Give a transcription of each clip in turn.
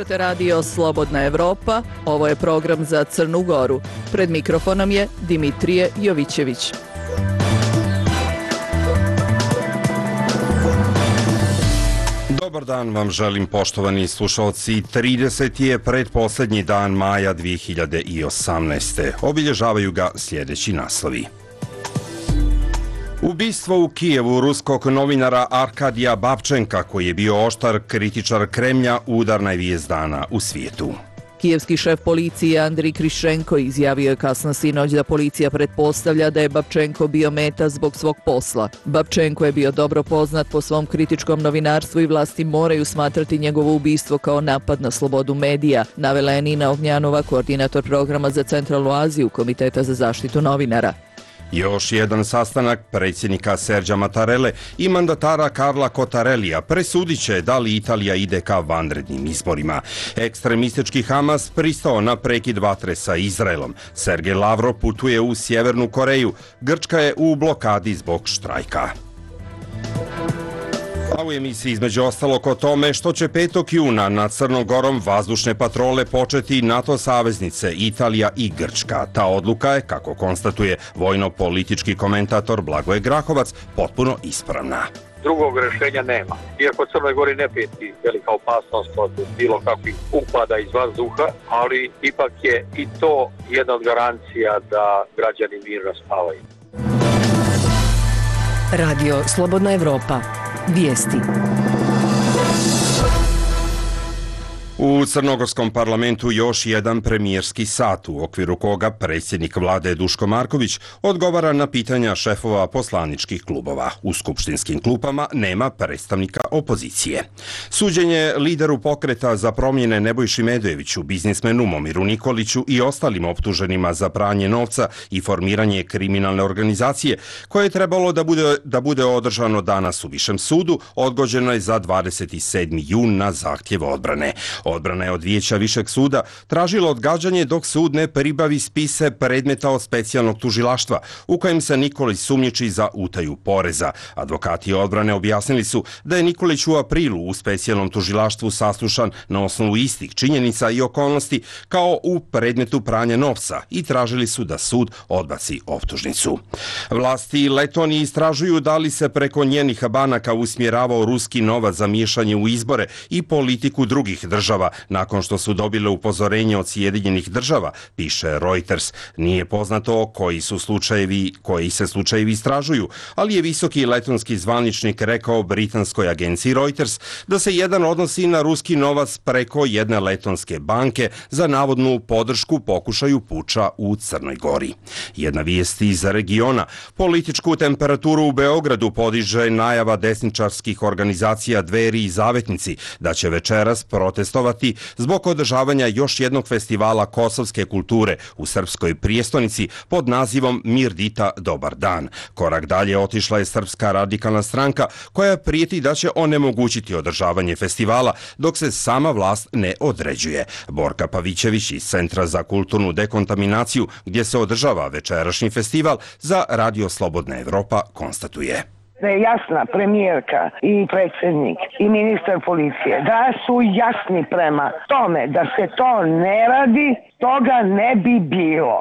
Slušate radio Slobodna Evropa, ovo je program za Crnu Goru. Pred mikrofonom je Dimitrije Jovićević. Dobar dan vam želim, poštovani slušalci. 30. je pretposlednji dan maja 2018. Obilježavaju ga sljedeći naslovi. Ubistvo u Kijevu ruskog novinara Arkadija Babčenka, koji je bio oštar kritičar Kremlja, udarna je vijest dana u svijetu. Kijevski šef policije Andrij Kriščenko izjavio je kasno sinoć da policija pretpostavlja da je Babčenko bio meta zbog svog posla. Babčenko je bio dobro poznat po svom kritičkom novinarstvu i vlasti moraju smatrati njegovo ubistvo kao napad na slobodu medija, navela je Nina Ognjanova, koordinator programa za Centralnu Aziju Komiteta za zaštitu novinara. Još jedan sastanak predsjednika Serđa Mattarelle i mandatara Carla Cottarellija presudit će da li Italija ide ka vanrednim izborima. Ekstremistički Hamas pristao na prekid vatre sa Izraelom. Sergej Lavrov putuje u Sjevernu Koreju. Grčka je u blokadi zbog štrajka. A u emisiji između ostalog o tome što će 5. juna nad Crnom Gorom vazdušne patrole početi NATO saveznice Italija i Grčka. Ta odluka je, kako konstatuje vojno-politički komentator Blagoje Grahovac, potpuno ispravna. Drugog rješenja nema. Iako Crnoj Gori ne prijeti velika opasnost od bilo kakvih upada iz vazduha, ali ipak je i to jedna od garancija da građani mirno spavaju. Radio Slobodna Evropa. Vijesti. U crnogorskom parlamentu još jedan premijerski sat u okviru koga predsjednik vlade Duško Marković odgovara na pitanja šefova poslaničkih klubova. U skupštinskim klupama nema predstavnika opozicije. Suđenje lideru pokreta za promjene Nebojši Medojeviću, biznismenu Momiru Nikoliću i ostalim optuženima za pranje novca i formiranje kriminalne organizacije, koje je trebalo da bude održano danas u Višem sudu, odgođeno je za 27. jun na zahtjev odbrane. Odbrana je od Vijeća Višeg suda tražila odgađanje dok sud ne pribavi spise predmeta od specijalnog tužilaštva u kojem se Nikolić sumnjiči za utaju poreza. Advokati odbrane objasnili su da je Nikolić u aprilu u specijalnom tužilaštvu saslušan na osnovu istih činjenica i okolnosti kao u predmetu pranja novca i tražili su da sud odbaci optužnicu. Vlasti Letonije istražuju da li se preko njenih banaka usmjeravao ruski novac za miješanje u izbore i politiku drugih država nakon što su dobile upozorenje od Sjedinjenih država, piše Reuters. Nije poznato koji se slučajevi istražuju, ali je visoki letonski zvaničnik rekao britanskoj agenciji Reuters da se jedan odnosi na ruski novac preko jedne letonske banke za navodnu podršku pokušaju puča u Crnoj Gori. Jedna vijest iz regiona. Političku temperaturu u Beogradu podiže najava desničarskih organizacija Dveri i Zavetnici da će večeras protestovati zbog održavanja još jednog festivala kosovske kulture u srpskoj prijestonici pod nazivom Mirdita Dobar dan. Korak dalje otišla je Srpska radikalna stranka koja prijeti da će onemogućiti održavanje festivala dok se sama vlast ne određuje. Borka Pavićević iz Centra za kulturnu dekontaminaciju gdje se održava večerašnji festival za Radio Slobodna Evropa konstatuje. Da je jasna premijerka i predsjednik i ministar policije, da su jasni prema tome da se to ne radi, toga ne bi bilo.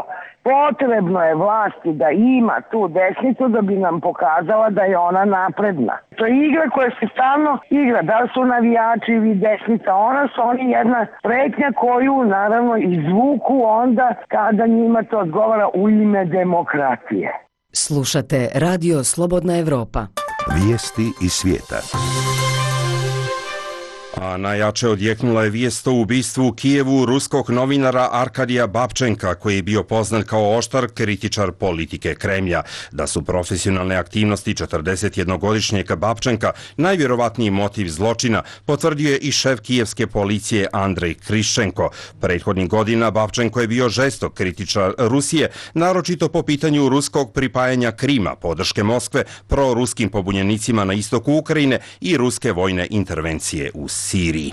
Potrebno je vlasti da ima tu desnicu da bi nam pokazala da je ona napredna. To je igra koja se stalno igra, da li su navijači ili desnica, oni jedna pretnja koju naravno izvuku onda kada njima to odgovara u ime demokratije. Slušate Radio Slobodna Evropa. Vijesti iz svijeta. A najjače odjeknula je vijest o ubistvu u Kijevu ruskog novinara Arkadija Babčenka, koji je bio poznat kao oštar kritičar politike Kremlja. Da su profesionalne aktivnosti 41-godišnjeg Babčenka najvjerovatniji motiv zločina, potvrdio je i šef kijevske policije Andrej Kriščenko. Prethodnih godina Babčenko je bio žestok kritičar Rusije, naročito po pitanju ruskog pripajanja Krima, podrške Moskve proruskim pobunjenicima na istoku Ukrajine i ruske vojne intervencije u Siriji.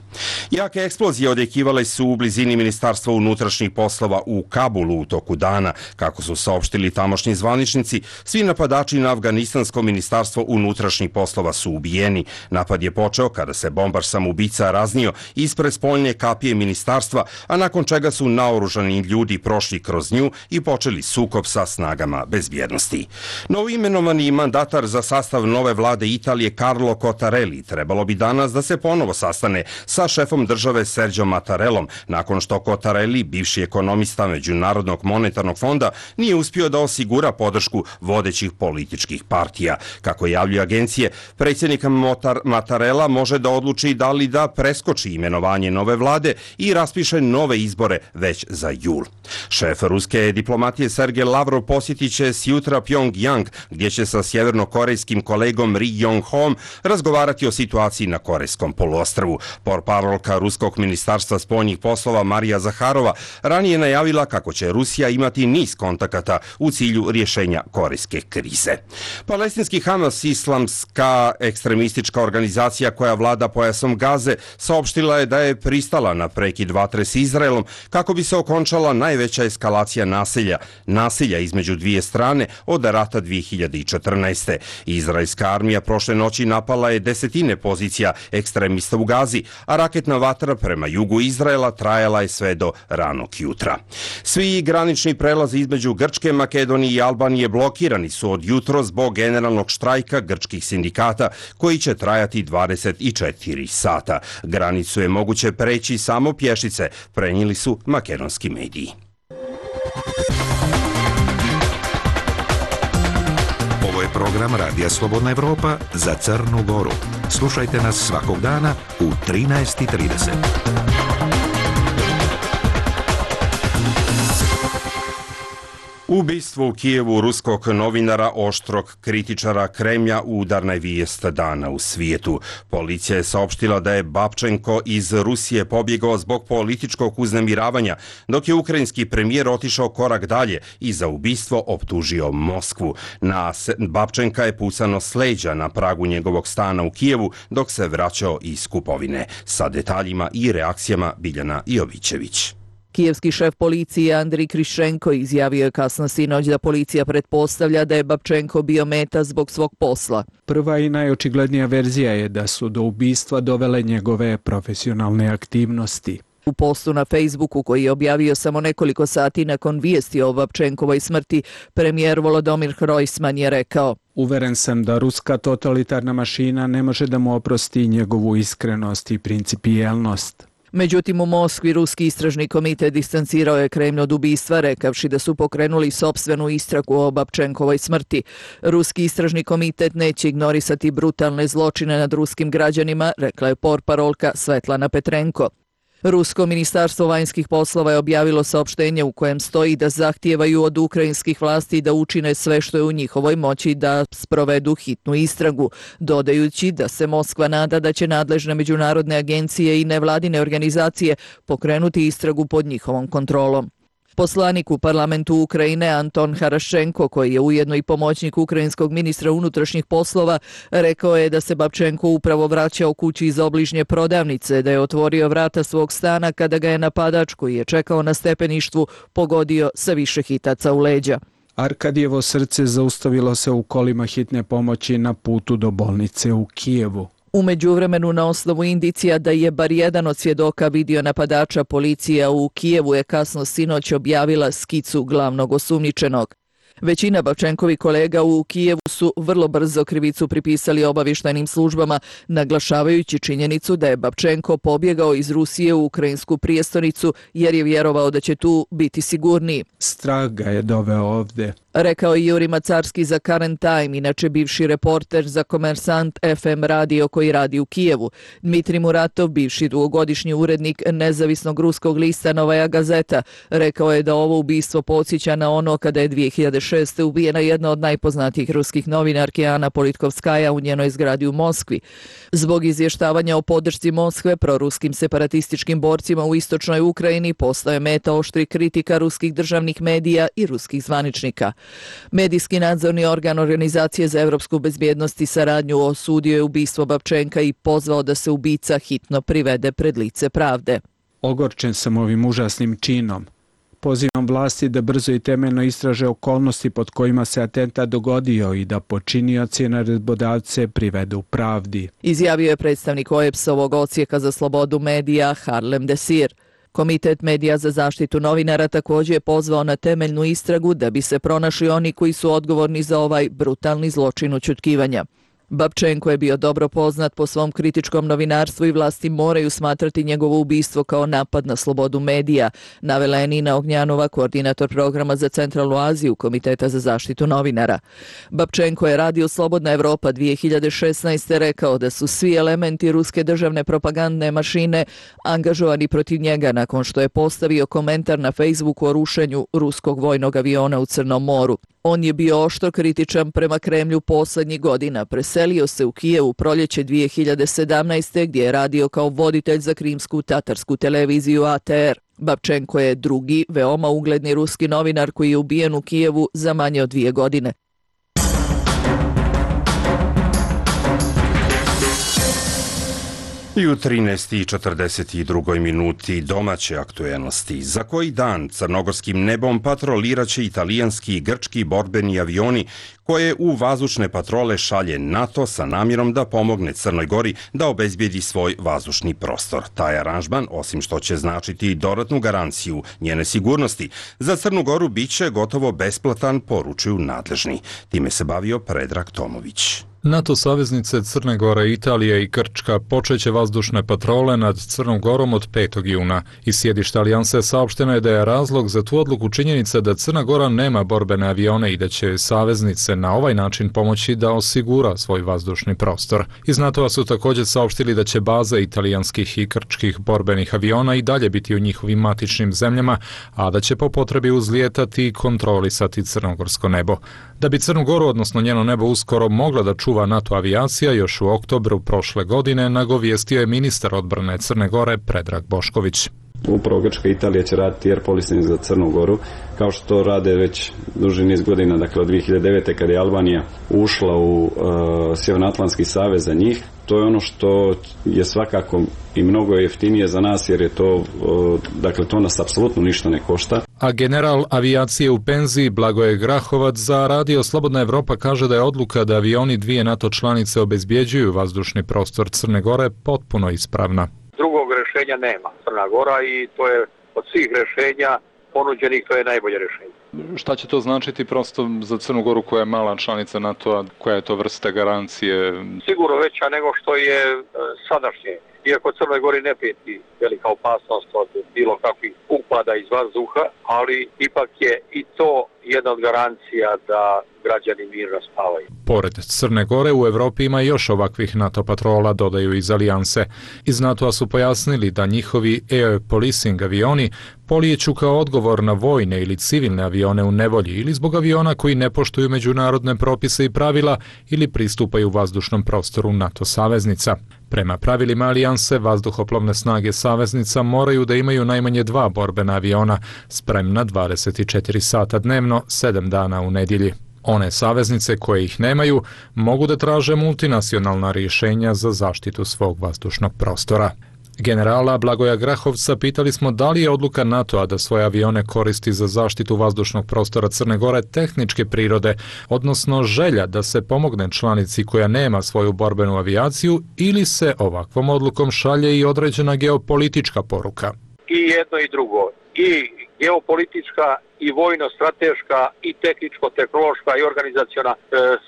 Jake eksplozije odjekivale su u blizini Ministarstva unutrašnjih poslova u Kabulu u toku dana. Kako su saopštili tamošnji zvaničnici, svi napadači na afganistansko Ministarstvo unutrašnjih poslova su ubijeni. Napad je počeo kada se bombar samoubica raznio ispred spoljne kapije ministarstva, a nakon čega su naoružani ljudi prošli kroz nju i počeli sukob sa snagama bezbjednosti. Novoimenovani mandatar za sastav nove vlade Italije Carlo Cottarelli trebalo bi danas da se ponovo sastane sa šefom države Sergio Mattarellom, nakon što Cottarelli, bivši ekonomista Međunarodnog monetarnog fonda, nije uspio da osigura podršku vodećih političkih partija. Kako javljaju agencije, predsjednik Mattarella može da odluči da li da preskoči imenovanje nove vlade i raspiše nove izbore već za jul. Šef ruske diplomatije Sergej Lavrov posjetit će sjutra Pyongyang, gdje će sa sjevernokorejskim kolegom Ri Yong-hom razgovarati o situaciji na Korejskom poluostrvu. Portparolka Ruskog ministarstva spoljnih poslova Marija Zaharova ranije najavila kako će Rusija imati niz kontakata u cilju rješenja korejske krize. Palestinski Hamas, islamska ekstremistička organizacija koja vlada pojasom Gaze, saopštila je da je pristala na prekid vatre s Izraelom kako bi se okončala najveća eskalacija nasilja između dvije strane od rata 2014. Izraelska armija prošle noći napala je desetine pozicija ekstremista u Gazi, a raketna vatra prema jugu Izraela trajala je sve do ranog jutra. Svi granični prelazi između Grčke, Makedonije i Albanije blokirani su od jutro zbog generalnog štrajka grčkih sindikata koji će trajati 24 sata. Granicu je moguće preći samo pješice, prenijeli su makedonski mediji. Ovo je program Radija Slobodna Evropa za Crnu Goru. Slušajte nas svakog dana u 13:30. Ubistvo u Kijevu ruskog novinara, oštrog kritičara Kremlja, udarna je vijest dana u svijetu. Policija je saopštila da je Babčenko iz Rusije pobjegao zbog političkog uznemiravanja, dok je ukrajinski premijer otišao korak dalje i za ubistvo optužio Moskvu. Na Babčenka je pucano s leđa na pragu njegovog stana u Kijevu dok se vraćao iz kupovine. Sa detaljima i reakcijama Biljana Jovićević. Kijevski šef policije Andrij Krišenko izjavio je kasno sinoć da policija pretpostavlja da je Babčenko bio meta zbog svog posla. Prva i najočiglednija verzija je da su do ubistva dovele njegove profesionalne aktivnosti. U postu na Facebooku koji je objavio samo nekoliko sati nakon vijesti o Babčenkovoj smrti, premijer Volodymyr Hrojsman je rekao: Uveren sam da ruska totalitarna mašina ne može da mu oprosti njegovu iskrenost i principijelnost. Međutim, u Moskvi ruski istražni komitet distancirao je Kremlj od ubistva, rekavši da su pokrenuli sopstvenu istragu o Babčenkovoj smrti. Ruski istražni komitet neće ignorisati brutalne zločine nad ruskim građanima, rekla je portparolka Svetlana Petrenko. Rusko ministarstvo vanjskih poslova je objavilo saopštenje u kojem stoji da zahtijevaju od ukrajinskih vlasti da učine sve što je u njihovoj moći da sprovedu hitnu istragu, dodajući da se Moskva nada da će nadležne međunarodne agencije i nevladine organizacije pokrenuti istragu pod njihovom kontrolom. Poslanik u parlamentu Ukrajine Anton Harašenko, koji je ujedno i pomoćnik ukrajinskog ministra unutrašnjih poslova, rekao je da se Babčenko upravo vraćao kući iz obližnje prodavnice, da je otvorio vrata svog stana kada ga je napadač koji je čekao na stepeništvu pogodio sa više hitaca u leđa. Arkadijevo srce zaustavilo se u kolima hitne pomoći na putu do bolnice u Kijevu. U međuvremenu, na osnovu indicija da je bar jedan od svjedoka vidio napadača, policija u Kijevu je kasno sinoć objavila skicu glavnog osumnjičenog. Većina Babčenkovi kolega u Kijevu su vrlo brzo krivicu pripisali obavještajnim službama, naglašavajući činjenicu da je Babčenko pobjegao iz Rusije u ukrajinsku prijestolnicu jer je vjerovao da će tu biti sigurniji. Strah ga je doveo ovdje, rekao je Juri Macarski za Current Time, inače bivši reporter za Komersant FM radio koji radi u Kijevu. Dmitrij Muratov, bivši dugogodišnji urednik nezavisnog ruskog lista Novaja Gazeta, rekao je da ovo ubistvo podsjeća na ono kada je 2006. ubijena jedna od najpoznatijih ruskih novinarki Ana Politkovskaja u njenoj zgradi u Moskvi. Zbog izvještavanja o podršci Moskve proruskim separatističkim borcima u istočnoj Ukrajini postao je meta oštrih kritika ruskih državnih medija i ruskih zvaničnika. Medijski nadzorni organ Organizacije za evropsku bezbjednost i saradnju osudio je ubistvo Babčenka i pozvao da se ubica hitno privede pred lice pravde. Ogorčen sam ovim užasnim činom. Pozivam vlasti da brzo i temeljno istraže okolnosti pod kojima se atentat dogodio i da počinioci i naredbodavce privedu pravdi. Izjavio je predstavnik OEBS-ovog odsjeka za slobodu medija Harlem Desir. Komitet medija za zaštitu novinara također je pozvao na temeljnu istragu da bi se pronašli oni koji su odgovorni za ovaj brutalni zločin ućutkivanja. Babčenko je bio dobro poznat po svom kritičkom novinarstvu i vlasti moraju smatrati njegovo ubistvo kao napad na slobodu medija, navela je Nina Ognjanova, koordinator programa za Centralnu Aziju Komiteta za zaštitu novinara. Babčenko je Radio Slobodna Evropa 2016. rekao da su svi elementi ruske državne propagandne mašine angažovani protiv njega nakon što je postavio komentar na Facebooku o rušenju ruskog vojnog aviona u Crnom moru. On je bio oštro kritičan prema Kremlju poslednjih godina. Preselio se u Kijev u proljeće 2017. gdje je radio kao voditelj za krimsku tatarsku televiziju ATR. Babčenko je drugi, veoma ugledni ruski novinar koji je ubijen u Kijevu za manje od 2 godine. I u 13:42 minuti domaće aktuelnosti. Za koji dan crnogorskim nebom patroliraće italijanski i grčki borbeni avioni koje u vazdušne patrole šalje NATO sa namjerom da pomogne Crnoj Gori da obezbijedi svoj vazdušni prostor. Taj aranžman, osim što će značiti dodatnu garanciju njene sigurnosti, za Crnu Goru biće gotovo besplatan, poručuju nadležni. Time se bavio Predrag Tomović. NATO saveznice Crne Gore, Italije i Grčka počeće vazdušne patrole nad Crnom Gorom od 5. juna. Iz sjedišta alijanse saopšteno je da je razlog za tu odluku činjenica da Crna Gora nema borbene avione i da će saveznice na ovaj način pomoći da osigura svoj vazdušni prostor. Iz NATO-a su također saopštili da će baze italijanskih i grčkih borbenih aviona i dalje biti u njihovim matičnim zemljama, a da će po potrebi uzlijetati i kontrolisati crnogorsko nebo. Da bi Crnu Goru, odnosno njeno nebo, uskoro mogla da čuva NATO avijacija, još u oktobru prošle godine nagovijestio je ministar odbrane Crne Gore Predrag Bošković. Upravo Grčka i Italija će raditi air policing za Crnu Goru, kao što to rade već duži niz godina, dakle od 2009. kada je Albanija ušla u Sjevernoatlantski savez za njih. To je ono što je svakako i mnogo jeftinije za nas, jer je to, dakle, to nas apsolutno ništa ne košta. A general avijacije u penziji Blagoje Grahovac za Radio Slobodna Evropa kaže da je odluka da avioni dvije NATO članice obezbjeđuju vazdušni prostor Crne Gore potpuno ispravna. Drugog rješenja nema. Crna Gora, i to je od svih rješenja ponuđenih, to je najbolje rješenje. Šta će to značiti prosto za Crnu Goru koja je mala članica NATO-a, koja je to vrsta garancije? Sigurno veća nego što je sadašnje. Iako Crnoj Gori ne prijeti velika opasnost od bilo kakvih upada iz vazduha, ali ipak je i to jedna od garancija da građani mirno spavaju. Pored Crne Gore u Evropi ima još ovakvih NATO patrola, dodaju iz alijanse. Iz NATO-a su pojasnili da njihovi air policing avioni polijeću kao odgovor na vojne ili civilne avione u nevolji ili zbog aviona koji ne poštuju međunarodne propise i pravila ili pristupaju vazdušnom prostoru NATO saveznica. Prema pravilima alijanse, vazduhoplovne snage saveznica moraju da imaju najmanje 2 borbena aviona, spremna 24 sata dnevno, 7 dana u nedjelji. One saveznice koje ih nemaju mogu da traže multinacionalna rješenja za zaštitu svog vazdušnog prostora. Generala Blagoja Grahovca pitali smo da li je odluka NATO-a da svoje avione koristi za zaštitu vazdušnog prostora Crne Gore tehničke prirode, odnosno želja da se pomogne članici koja nema svoju borbenu avijaciju, ili se ovakvom odlukom šalje i određena geopolitička poruka. I jedno i drugo. I geopolitička, i vojno-strateška, i tehničko-tehnološka, i organizaciona.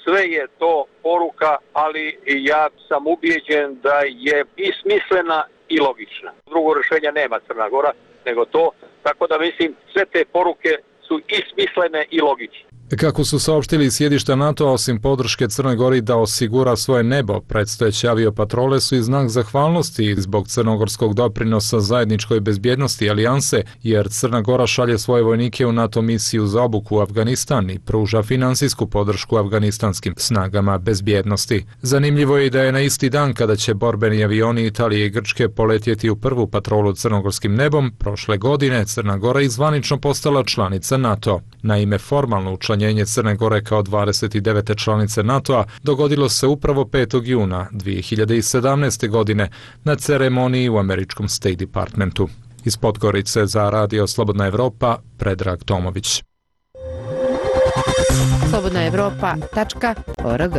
Sve je to poruka, ali ja sam ubijeđen da je i smislena i logična. Drugo rješenja nema Crna Gora nego to, tako da mislim sve te poruke su i smislene i logične. Kako su saopštili iz sjedišta NATO-a, osim podrške Crnoj Gori da osigura svoje nebo, predstojeće aviopatrole su i znak zahvalnosti zbog crnogorskog doprinosa zajedničkoj bezbjednosti alijanse, jer Crna Gora šalje svoje vojnike u NATO misiju za obuku u Afganistan i pruža finansijsku podršku afganistanskim snagama bezbjednosti. Zanimljivo je i da je na isti dan kada će borbeni avioni Italije i Grčke poletjeti u prvu patrolu crnogorskim nebom, prošle godine Crna Gora izvanično postala članica NATO. Naime, formalno učlanjenje Crne Gore kao 29. članice NATO-a dogodilo se upravo 5. juna 2017. godine na ceremoniji u američkom State Departmentu. Iz Podgorice za Radio Slobodna Evropa, Predrag Tomović. slobodnaevropa.org.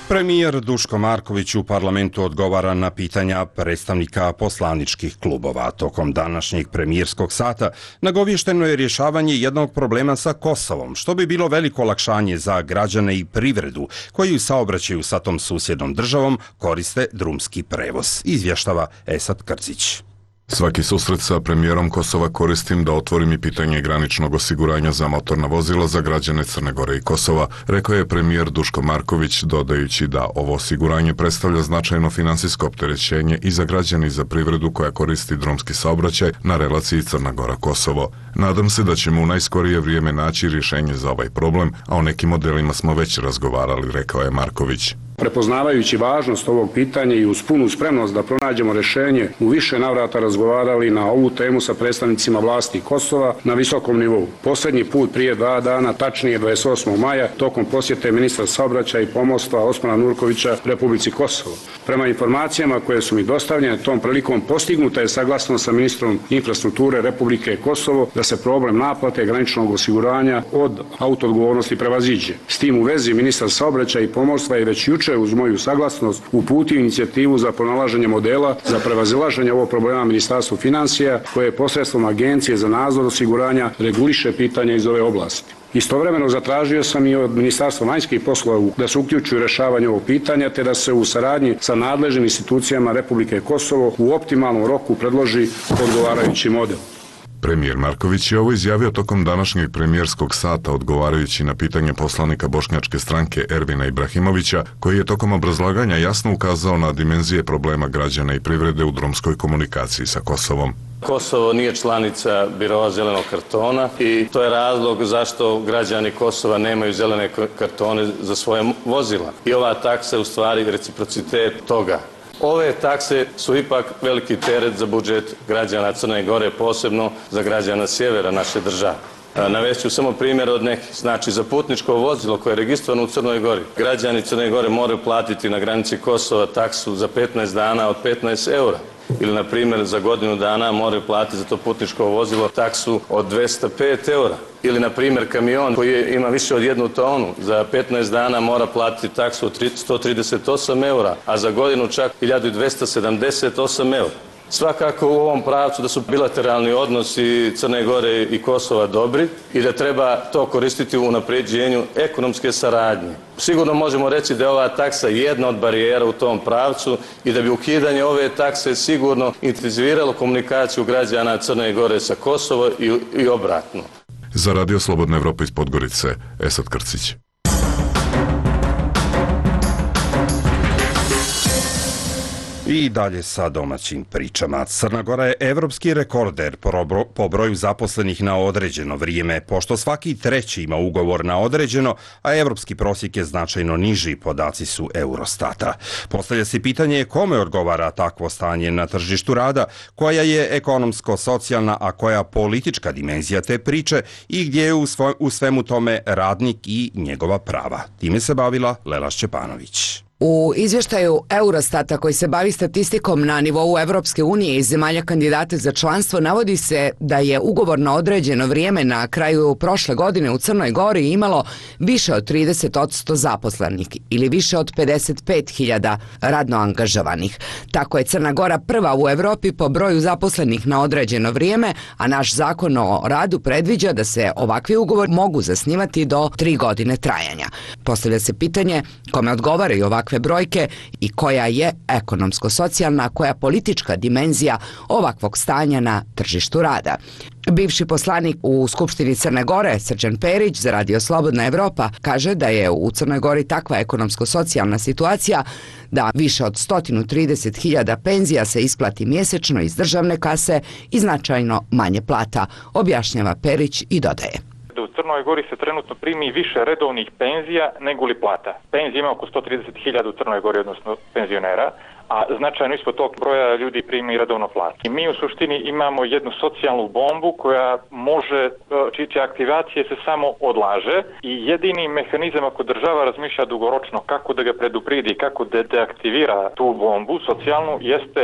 Premijer Duško Marković u parlamentu odgovara na pitanja predstavnika poslaničkih klubova. Tokom današnjeg premijerskog sata nagovješteno je rješavanje jednog problema sa Kosovom, što bi bilo veliko olakšanje za građane i privredu koji u saobraćaju sa tom susjednom državom koriste drumski prevoz, izvještava Esad Krcić. Svaki susret sa premijerom Kosova koristim da otvorim i pitanje graničnog osiguranja za motorna vozila za građane Crne Gore i Kosova, rekao je premijer Duško Marković, dodajući da ovo osiguranje predstavlja značajno finansijsko opterećenje i za građane i za privredu koja koristi drumski saobraćaj na relaciji Crna Gora-Kosovo. Nadam se da ćemo u najskorije vrijeme naći rješenje za ovaj problem, a o nekim modelima smo već razgovarali, rekao je Marković. Prepoznavajući važnost ovog pitanja i uz punu spremnost da pronađemo rješenje, u više navrata razgovarali na ovu temu sa predstavnicima vlasti Kosova na visokom nivou. Posljednji put prije 2 dana, tačnije 28. maja, tokom posjete ministra saobraćaja i pomorstva Osmana Nurkovića Republici Kosovo. Prema informacijama koje su mi dostavljene, tom prilikom postignuta je saglasnost sa ministrom infrastrukture Republike Kosovo da se problem naplate graničnog osiguranja od autoodgovornosti prevaziđe. S tim u vezi ministar saobraćaja i pomorstva je već jučer uz moju saglasnost uputio inicijativu za pronalaženje modela za prevazilaženje ovog problema Ministarstvu financija, koje posredstvom Agencije za nadzor osiguranja reguliše pitanja iz ove oblasti. Istovremeno zatražio sam i od Ministarstva vanjskih poslova da se uključi u rješavanje ovog pitanja, te da se u saradnji sa nadležnim institucijama Republike Kosovo u optimalnom roku predloži odgovarajući model. Premijer Marković je ovo izjavio tokom današnjeg premijerskog sata odgovarajući na pitanje poslanika Bošnjačke stranke Ervina Ibrahimovića, koji je tokom obrazlaganja jasno ukazao na dimenzije problema građana i privrede u drumskoj komunikaciji sa Kosovom. Kosovo nije članica biroa zelenog kartona i to je razlog zašto građani Kosova nemaju zelene kartone za svoje vozila. I ova taksa je u stvari reciprocitet toga. Ove takse su ipak veliki teret za budžet građana Crne Gore, posebno za građana sjevera naše države. Navešću samo primjer od nekih. Znači, za putničko vozilo koje je registrovano u Crnoj Gori, građani Crne Gore moraju platiti na granici Kosova taksu za 15 dana od 15 eura. Ili, na primjer, za godinu dana moraju platiti za to putničko vozilo taksu od 205 eura. Ili, na primjer, kamion koji ima više od 1 tonu, za 15 dana mora platiti taksu od 138 eura, a za godinu čak 1278 eura. Svakako u ovom pravcu da su bilateralni odnosi Crne Gore i Kosova dobri i da treba to koristiti u unapređenju ekonomske saradnje. Sigurno možemo reći da je ova taksa jedna od barijera u tom pravcu i da bi ukidanje ove takse sigurno intenziviralo komunikaciju građana Crne Gore sa Kosovo i obratno. Za Radio Slobodna Evropa iz Podgorice, Esad Krcić. I dalje sa domaćim pričama. Crna Gora je evropski rekorder po broju zaposlenih na određeno vrijeme, pošto svaki treći ima ugovor na određeno, a evropski prosjek je značajno niži, podaci su Eurostata. Postavlja se pitanje kome odgovara takvo stanje na tržištu rada, koja je ekonomsko-socijalna, a koja politička dimenzija te priče i gdje je u svemu tome radnik i njegova prava. Time se bavila Lela Šćepanović. U izvještaju Eurostata koji se bavi statistikom na nivou Evropske unije i zemalja kandidata za članstvo navodi se da je ugovor na određeno vrijeme na kraju prošle godine u Crnoj Gori imalo više od 30% zaposlenih ili više od 55.000 radno angažovanih. Tako je Crna Gora prva u Evropi po broju zaposlenih na određeno vrijeme, a naš zakon o radu predviđa da se ovakvi ugovori mogu zasnivati do 3 godine trajanja. Postavlja se pitanje kome odgovaraju ovakve brojke i koja je ekonomsko-socijalna, koja politička dimenzija ovakvog stanja na tržištu rada. Bivši poslanik u Skupštini Crne Gore, Srđan Perić, za Radio Slobodna Evropa, kaže da je u Crnoj Gori takva ekonomsko-socijalna situacija da više od 130.000 penzija se isplati mjesečno iz državne kase i značajno manje plata, objašnjava Perić i dodaje. U Crnoj Gori se trenutno primi više redovnih penzija nego li plata. Penzija ima oko 130.000 u Crnoj Gori, odnosno penzionera, a značajno ispod tog broja ljudi primi redovno platu. I mi u suštini imamo jednu socijalnu bombu koja može, čija aktivacija se samo odlaže i jedini mehanizam ako država razmišlja dugoročno kako da ga predupredi, kako da deaktivira tu bombu socijalnu, jeste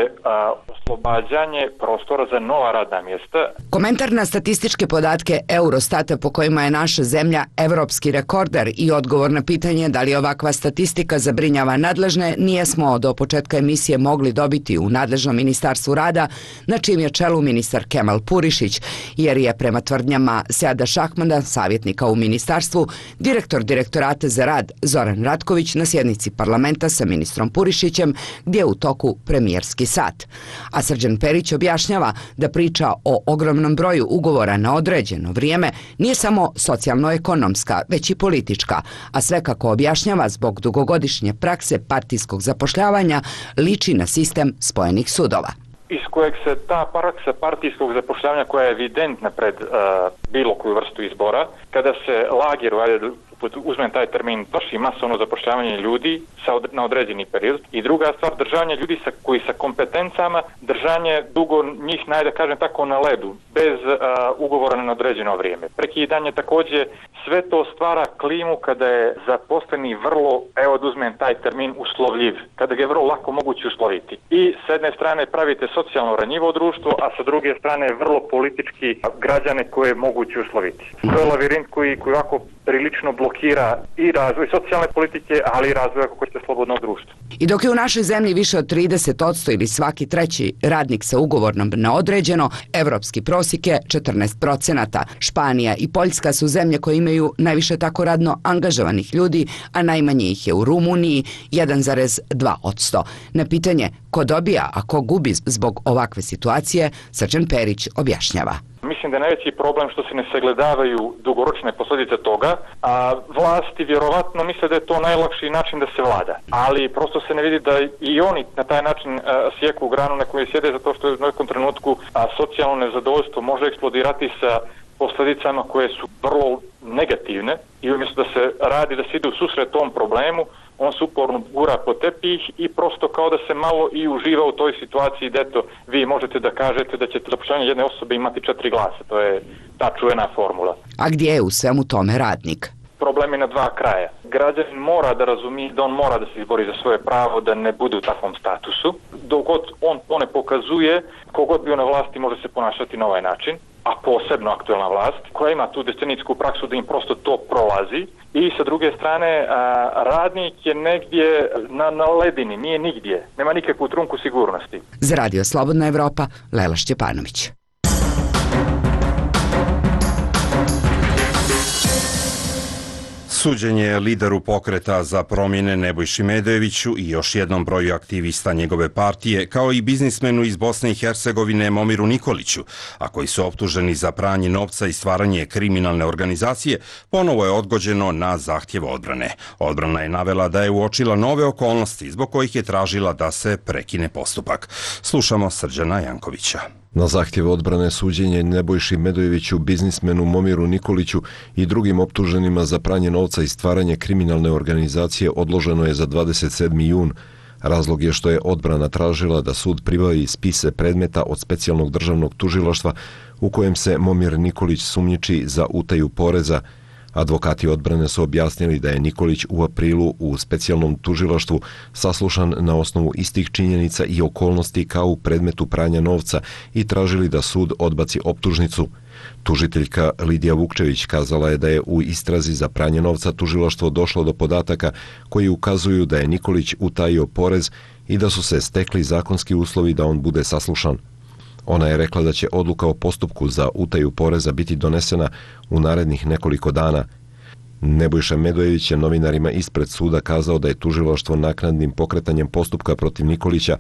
oslobađanje prostora za nova radna mjesta. Komentar na statističke podatke Eurostata po kojima je naša zemlja evropski rekorder i odgovor na pitanje da li ovakva statistika zabrinjava nadležne nijesmo do početka emisije mogli dobiti u nadležnom ministarstvu rada, na čijem je čelu ministar Kemal Purišić, jer je prema tvrdnjama Seada Šahmada, savjetnika u ministarstvu, direktor Direktorata za rad Zoran Ratković na sjednici parlamenta sa ministrom Purišićem gdje je u toku premijerski sat. A Srđan Perić objašnjava da priča o ogromnom broju ugovora na određeno vrijeme nije samo socijalno-ekonomska, već i politička, a sve kako objašnjava zbog dugogodišnje prakse partijskog zapošljavanja liči na sistem spojenih sudova. Iz kojeg se ta praksa partijskog zapošljavanja koja je evidentna pred bilo koju vrstu izbora, kada se lageru, uzmem taj termin, vrši masovno zapošljavanje ljudi na određeni period i druga stvar, držanje ljudi koji sa kompetencama, držanje dugo njih, da kažem tako, na ledu, bez ugovora na određeno vrijeme. Prekidanje također, sve to stvara klimu kada je zaposleni vrlo, evo da uzmem taj termin, uslovljiv, kada ga je vrlo lako moguće usloviti. I s jedne strane pravite socijalno ranjivo društvo, a sa druge strane vrlo politički građane koje je moguće usloviti. To je lavirint koji ovako prilično blokira i razvoj socijalne politike, ali i razvoj ako hoćete slobodnog društva. I dok je u našoj zemlji više od 30% ili svaki treći radnik sa ugovornom na određeno, evropski prosjek je 14%. Španija i Poljska su zemlje koje imaju najviše tako radno angažovanih ljudi, a najmanje ih je u Rumuniji 1,2%. Na pitanje ko dobija, a ko gubi zbog ovakve situacije, Srđan Perić objašnjava. Mislim da je najveći problem što se ne sagledavaju dugoročne posljedice toga, a vlasti vjerovatno misle da je to najlakši način da se vlada. Ali prosto se ne vidi da i oni na taj način sjeku granu na kojoj sjede zato što je u nekom trenutku socijalno nezadovoljstvo može eksplodirati sa posljedicama koje su vrlo negativne i umjesto da se radi, da se ide u susret tom problemu, on se uporno gura po tepih i prosto kao da se malo i uživa u toj situaciji da eto, vi možete da kažete da ćete zapošljavanje jedne osobe imati 4 glasa. To je ta čuvena formula. A gdje je u svemu tome radnik? Problem je na dva kraja. Građanin mora da razumije da on mora da se izbori za svoje pravo, da ne bude u takvom statusu. Dok god on to ne pokazuje, kogod bio na vlasti može se ponašati na ovaj način, a posebno aktuelna vlast, koja ima tu decenijsku praksu da im prosto to prolazi. I sa druge strane, radnik je negdje na ledini, nije nigdje, nema nikakvu trunku sigurnosti. Za Radio Slobodna Evropa, Lela Šćepanović. Suđenje lideru pokreta za promjene Nebojši Medojeviću i još jednom broju aktivista njegove partije, kao i biznismenu iz Bosne i Hercegovine Momiru Nikoliću, a koji su optuženi za pranje novca i stvaranje kriminalne organizacije, ponovo je odgođeno na zahtjev odbrane. Odbrana je navela da je uočila nove okolnosti zbog kojih je tražila da se prekine postupak. Slušamo Srđana Jankovića. Na zahtjev odbrane suđenje Nebojši Medojeviću, biznismenu Momiru Nikoliću i drugim optuženima za pranje novca i stvaranje kriminalne organizacije odloženo je za 27. jun. Razlog je što je odbrana tražila da sud pribavi spise predmeta od specijalnog državnog tužilaštva u kojem se Momir Nikolić sumnjiči za utaju poreza. Advokati odbrane su objasnili da je Nikolić u aprilu u specijalnom tužilaštvu saslušan na osnovu istih činjenica i okolnosti kao u predmetu pranja novca i tražili da sud odbaci optužnicu. Tužiteljka Lidija Vukčević kazala je da je u istrazi za pranje novca tužilaštvo došlo do podataka koji ukazuju da je Nikolić utajio porez i da su se stekli zakonski uslovi da on bude saslušan. Ona je rekla da će odluka o postupku za utaju poreza biti donesena u narednih nekoliko dana. Nebojša Medojević je novinarima ispred suda kazao da je tužilaštvo naknadnim pokretanjem postupka protiv Nikolića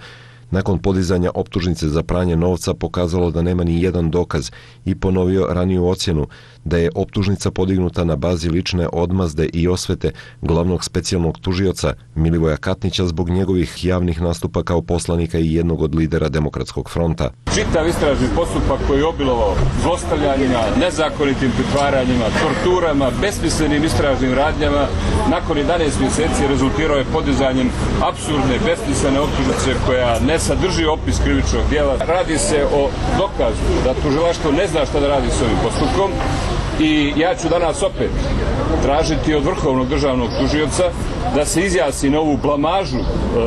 nakon podizanja optužnice za pranje novca pokazalo da nema ni jedan dokaz i ponovio raniju ocjenu da je optužnica podignuta na bazi lične odmazde i osvete glavnog specijalnog tužioca Milivoja Katnića zbog njegovih javnih nastupa kao poslanika i jednog od lidera Demokratskog fronta. Čitav istražni postupak koji je obilovao zlostavljanjima, nezakonitim pritvaranjima, torturama, besmislenim istražnim radnjama, nakon 11 mjeseci rezultirao je podizanjem apsurdne, besmislene optužnice koja ne sadrži opis krivičnog djela. Radi se o dokazu da tužilaštvo ne zna šta da radi s ovim postupkom i ja ću danas opet tražiti od Vrhovnog državnog tužioca da se izjasni na ovu blamažu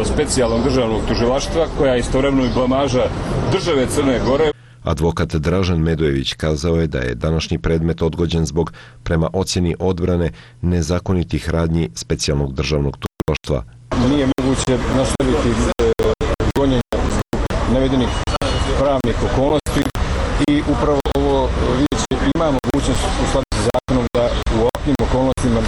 specijalnog državnog tužilaštva koja je istovremeno i blamaža države Crne Gore. Advokat Dražen Medojević kazao je da je današnji predmet odgođen zbog, prema ocjeni odbrane, nezakonitih radnji specijalnog državnog tužilaštva. Nije moguće nastaviti gonjenje navedenih pravnih okolnosti i upravo ovo vijeće ima mogućnost u skladu sa zakonom da u ovakvim okolnostima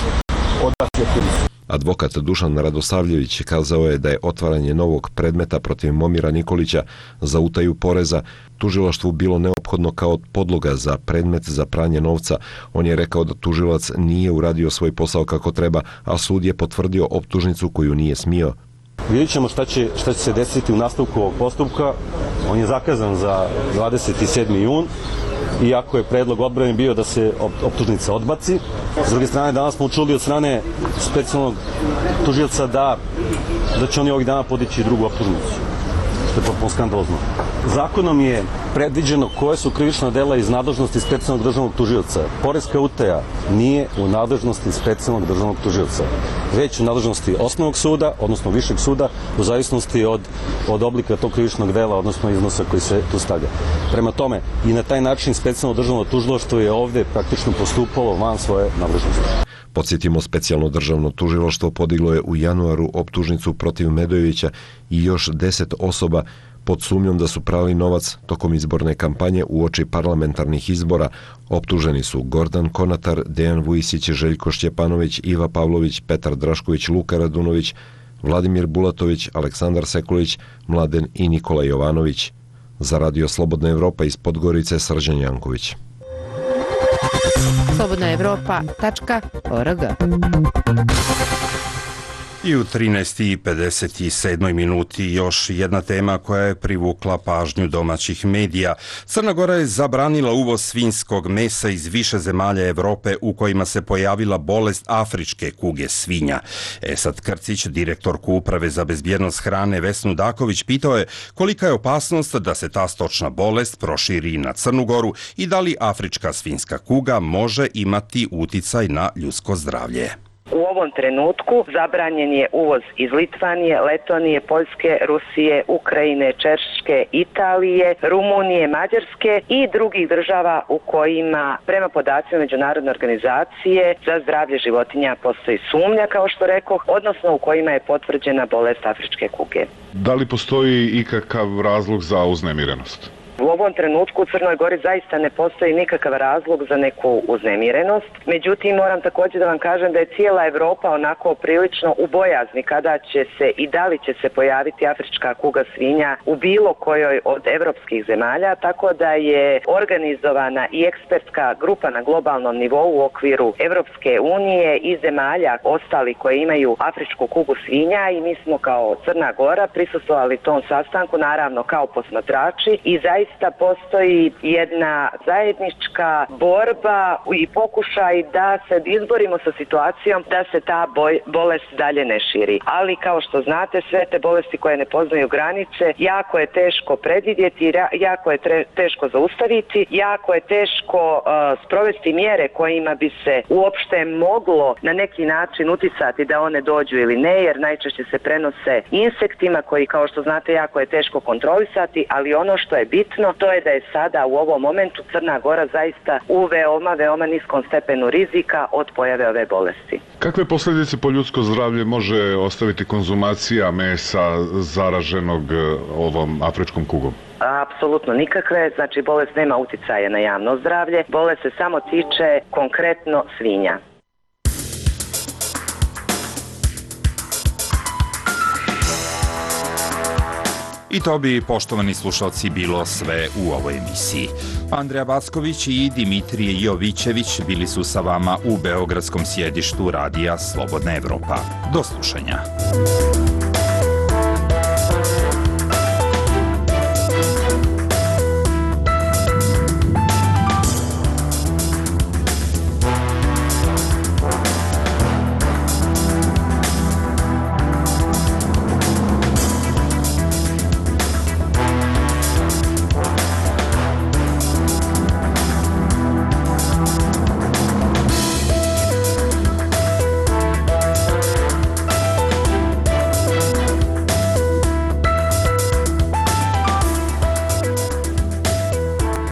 odbaci optužnicu. Advokat Dušan Radosavljević kazao je da je otvaranje novog predmeta protiv Momira Nikolića za utaju poreza tužilaštvu bilo neophodno kao podloga za predmet za pranje novca. On je rekao da tužilac nije uradio svoj posao kako treba, a sud je potvrdio optužnicu koju nije smio. Vidjet ćemo šta će se desiti u nastavku ovog postupka. On je zakazan za 27. jun. Iako je predlog odbrane bio da se optužnica odbaci. S druge strane, danas smo čuli od strane specijalnog tužioca da će oni ovih dana podići drugu optužnicu, što je potpuno skandalozno. Zakonom je predviđeno koje su krivična dela iz nadležnosti specijalnog državnog tužioca. Poreska utaja nije u nadležnosti specijalnog državnog tužioca, već u nadležnosti osnovnog suda, odnosno višeg suda, u zavisnosti od oblika tog krivičnog dela, odnosno iznosa koji se tu stavlja. Prema tome, i na taj način specijalno državno tužilaštvo je ovdje praktično postupalo van svoje nadležnosti. Podsjetimo, specijalno državno tužilaštvo podiglo je u januaru optužnicu protiv Medojevića i još 10 osoba pod sumnjom da su prali novac tokom izborne kampanje uoči parlamentarnih izbora. Optuženi su Gordan Konatar, Dejan Vujisić, Željko Šćepanović, Iva Pavlović, Petar Drašković, Luka Radunović, Vladimir Bulatović, Aleksandar Sekulić, Mladen i Nikola Jovanović. Za Radio Slobodna Evropa iz Podgorice, Srđan Janković. slobodnaevropa.org. I u 13:57 minuti još jedna tema koja je privukla pažnju domaćih medija. Crna Gora je zabranila uvoz svinjskog mesa iz više zemalja Evrope u kojima se pojavila bolest afričke kuge svinja. Esad Krcić, direktorku Uprave za bezbjednost hrane Vesnu Daković, pitao je kolika je opasnost da se ta stočna bolest proširi na Crnu Goru i da li afrička svinjska kuga može imati uticaj na ljudsko zdravlje. U ovom trenutku zabranjen je uvoz iz Litvanije, Letonije, Poljske, Rusije, Ukrajine, Češke, Italije, Rumunije, Mađarske i drugih država u kojima, prema podacima Međunarodne organizacije za zdravlje životinja, postoji sumnja, kao što rekoh, odnosno u kojima je potvrđena bolest afričke kuge. Da li postoji ikakav razlog za uznemirenost? U ovom trenutku u Crnoj Gori zaista ne postoji nikakav razlog za neku uznemirenost. Međutim, moram također da vam kažem da je cijela Evropa onako prilično u bojazni kada će se i da li će se pojaviti afrička kuga svinja u bilo kojoj od evropskih zemalja, tako da je organizovana i ekspertska grupa na globalnom nivou u okviru Evropske unije i zemalja ostali koje imaju afričku kugu svinja i mi smo kao Crna Gora prisustvovali tom sastanku, naravno kao posmatrači, i zaista postoji jedna zajednička borba i pokušaj da se izborimo sa situacijom da se ta bolest dalje ne širi. Ali kao što znate, sve te bolesti koje ne poznaju granice, jako je teško predvidjeti, jako je teško zaustaviti, jako je teško sprovesti mjere kojima bi se uopšte moglo na neki način uticati da one dođu ili ne, jer najčešće se prenose insektima koji, kao što znate, jako je teško kontrolisati, ali ono što je bitno to je da je sada u ovom momentu Crna Gora zaista u veoma niskom stepenu rizika od pojave ove bolesti. Kakve posljedice po ljudsko zdravlje može ostaviti konzumacija mesa zaraženog ovom afričkom kugom? Apsolutno nikakve, znači bolest nema uticaja na javno zdravlje, bolest se samo tiče konkretno svinja. I to bi, poštovani slušalci, bilo sve u ovoj emisiji. Andreja Backović i Dimitrije Jovićević bili su sa vama u beogradskom sjedištu radija Slobodna Evropa. Do slušanja.